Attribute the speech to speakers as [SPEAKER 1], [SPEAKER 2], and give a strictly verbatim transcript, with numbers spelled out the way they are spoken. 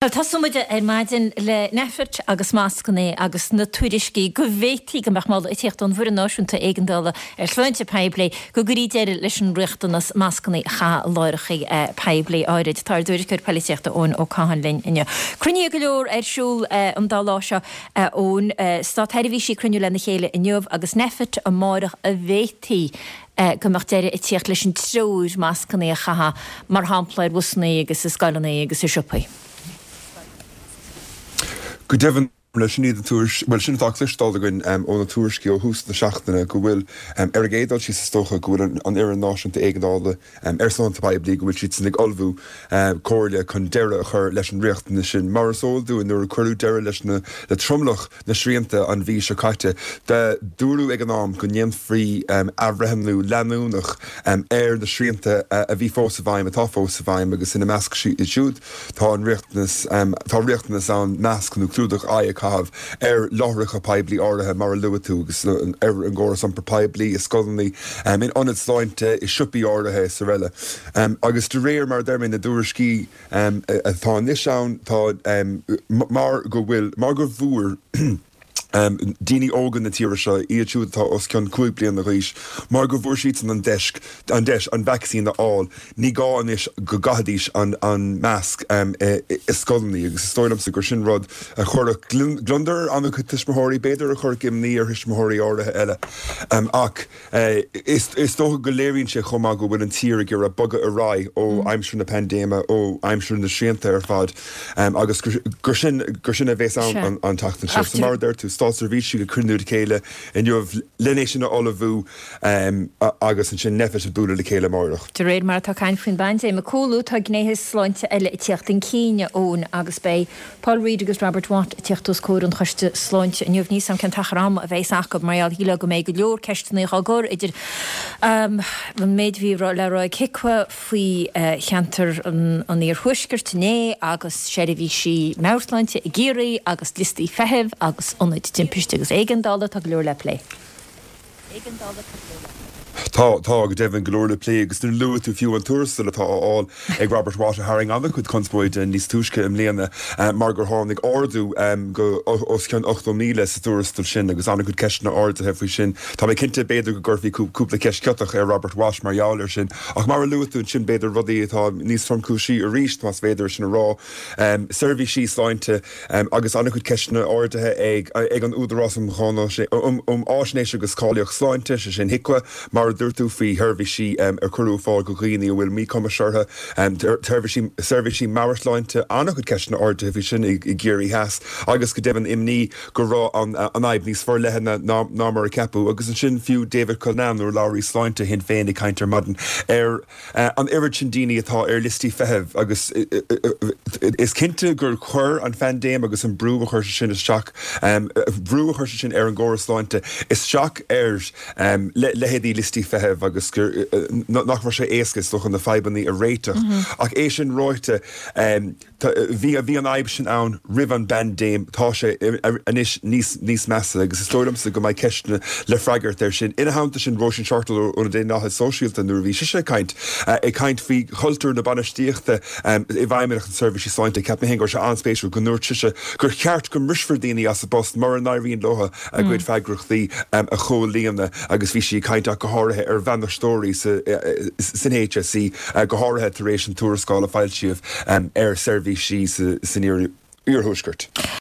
[SPEAKER 1] Tosóidh muid ar maidin le Nphet agus mascanna agus na tuairiscí go bhféadfaí go mbeadh moladh ag tíocht ón bhFoireann Náisiúnta Éigeandála ar Shláinte Poiblí go gcuirfí deireadh leis an riachtanas mascanna a chaitheamh i láithreacha poiblí áirid. Tá ár dtuairisceoir polaitíochta Eoin Ó Catháin linn inniu. Cruinnithe go leor ar siúl an dá lá seo ón Státseirbhísí ag cruinniú lena chéile inniu agus Nphet amárach a bhféadfaí go mbeadh deireadh ag tíocht leis an treoir mascanna a chaitheamh mar shampla ar bhusanna agus i scoileanna agus i siopaí.
[SPEAKER 2] Go deimhin leis sin iad an tuairisc, bhuel sin atá cloisteáil againn ó na tuairiscí ó thús na seachtaine go bhfuil ar an gcéad dul síos is dócha go bhfuil an Fhoireann Náisiúnta Éigeandála ar Sláinte Poiblí go bhfuil siadsan ag ullmhú comhairle chun deireadh a chur leis an riachtanas sin. Mar is eol dúinn nuair a cuireadh deireadh leis na le tromlach na srianta an mhí seo caite dúradh ag an am go ndéanfaí athbhreithniú leanúnach ar na srianta a bhí fós i bhfeidhm atá fós i bhfeidhm agus ina measc siúd tá an riachtanas tá riachtanas ann masc nó clúdach aghaidhe a chaitheamh ar láithreacha poiblí áirithe mar a luaigh tú agus ar an gcóras iompair poiblí i scoileanna in ionaid sláinte i siopaí áirithe is araile. Agus de réir mar a deir mé na dtuairiscí atá anois ann tá mar go bhfuil mar go bhfuair daoine óga na tíre seo iad siúd atá os cionn cúig bliana d'aois mar go bhfuair siadsan an deis an deis an vacsaín a fháil ní gá anois go gcaithfidís an an masc i scoileanna agus is dóigh liomsa gur sin rud a chuirfeadh gliondar ar an-chuid tuismitheoirí b'fhéidir a chuirfeadh imní ar thuismitheoirí áirithe eile ach is is dócha go léiríonn sé chomh maith go bhfuil an tír ag iarraidh bogadh ar aghaidh ó aimsir na paindéime ó aimsir na srianta ar fad agus gur sin gur sin a bheas ann an tseachtain seo. So mar a deir tú státseirbhísigh ag cruinniú le chéile inniu lena sin a ullmhú agus ansin Nphet ag bualadh le chéile amárach.
[SPEAKER 1] De réir mar atá caint faoin bpaindéim ag cúlú, tá gnéithe sláinte eile ag tíocht chun cinn, Eoin, agus beidh Paul Reid agus Robert Watt ag tíocht os comhair an Choiste Sláinte inniu. Níl a fhios agam cén t-achar ama a bheas acu mar gheall shílfeá go mbeidh go leor ceisteanna á gcur idir an méid a bhí le rá ag HIQA faoi cheantar an Iarthuaiscirt inné agus seirbhísí meabhairshláinte i gCiarraí agus liostaí feithimh agus ionaid timpiste agus éigeandála, tá go leor le plé.
[SPEAKER 2] Tá, tá, go deimhin, go leor le plé agus nuair a luaigh tú fiú an tuarastal atá á fháil ag Robert Watt a tharraing an-chuid conspóide níos túisce i mbliana mar gur tháinig ardú go os cionn ochtó míle sa tuarastal sin agus an-chuid ceisteanna ardaithe faoi sin. Tá mé cinnte b'fhéidir go gcuirfí cúpla ceist chiotach ar Robert Watt mar gheall air sin ach mar a luaigh tú ansin b'fhéidir rudaí atá níos tromchúisí arís más féidir sin a rá, seirbhísí sláinte agus an-chuid ceisteanna ardaithe ag ag an Údarás um um Fháisnéis agus Cáilíocht Sláinte, sé sin HIQA, mar a dúirt tú faoi sheirbhísí a cuireadh ar fáil do dhaoine a bhfuil míchumas orthu, seirbhísí seirbhísí meabhairshláinte, an-chuid ceisteanna ardaithe faoi sin i gCiarraí Theas agus go deimhin imní go raibh an an fhadhb níos forleithne ná ná mar a ceapadh agus ansin fiú David Cullinane, urlabhraí sláinte Shinn Féin ag caint ar maidin ar an oiread sin daoine atá ar liostaí feithimh agus is cinnte gur chuir an phaindéim agus an brú a chuir sé sin isteach, brú a chuir sé sin ar an gcóras sláinte isteach ar leithéidí liostaí feithimh agus gur nach raibh sé éasca is dócha na fadhbanna a réiteach. Ach é sin ráite, Bhí bhí an fhadhb sin ann roimh an bpaindéim, tá sé anois níos níos measa agus is dóigh liomsa go mbeidh ceisteanna le freagairt air sin. Ina theannta sin, Róisín Shortall ó na Daonlathaithe Sóisialta nuair a bhí sise ag caint, ag caint faoi chultúr na bainistíochta i bhFeidhmeannacht na Seirbhísí Sláinte, cheap mé féin go raibh sé an-spéisiúil go ndúirt sise gur cheart go mbrisfear daoine as a bpost mura n-éiríonn leo a gcuid freagrachtaí a chomhlíonadh agus bhí sí ag caint ach go háirithe ar bhainisteoirí san HSE, go háirithe tar éis an tuarascáil a foilsíodh ar seirbhísí san iarthuaisceart.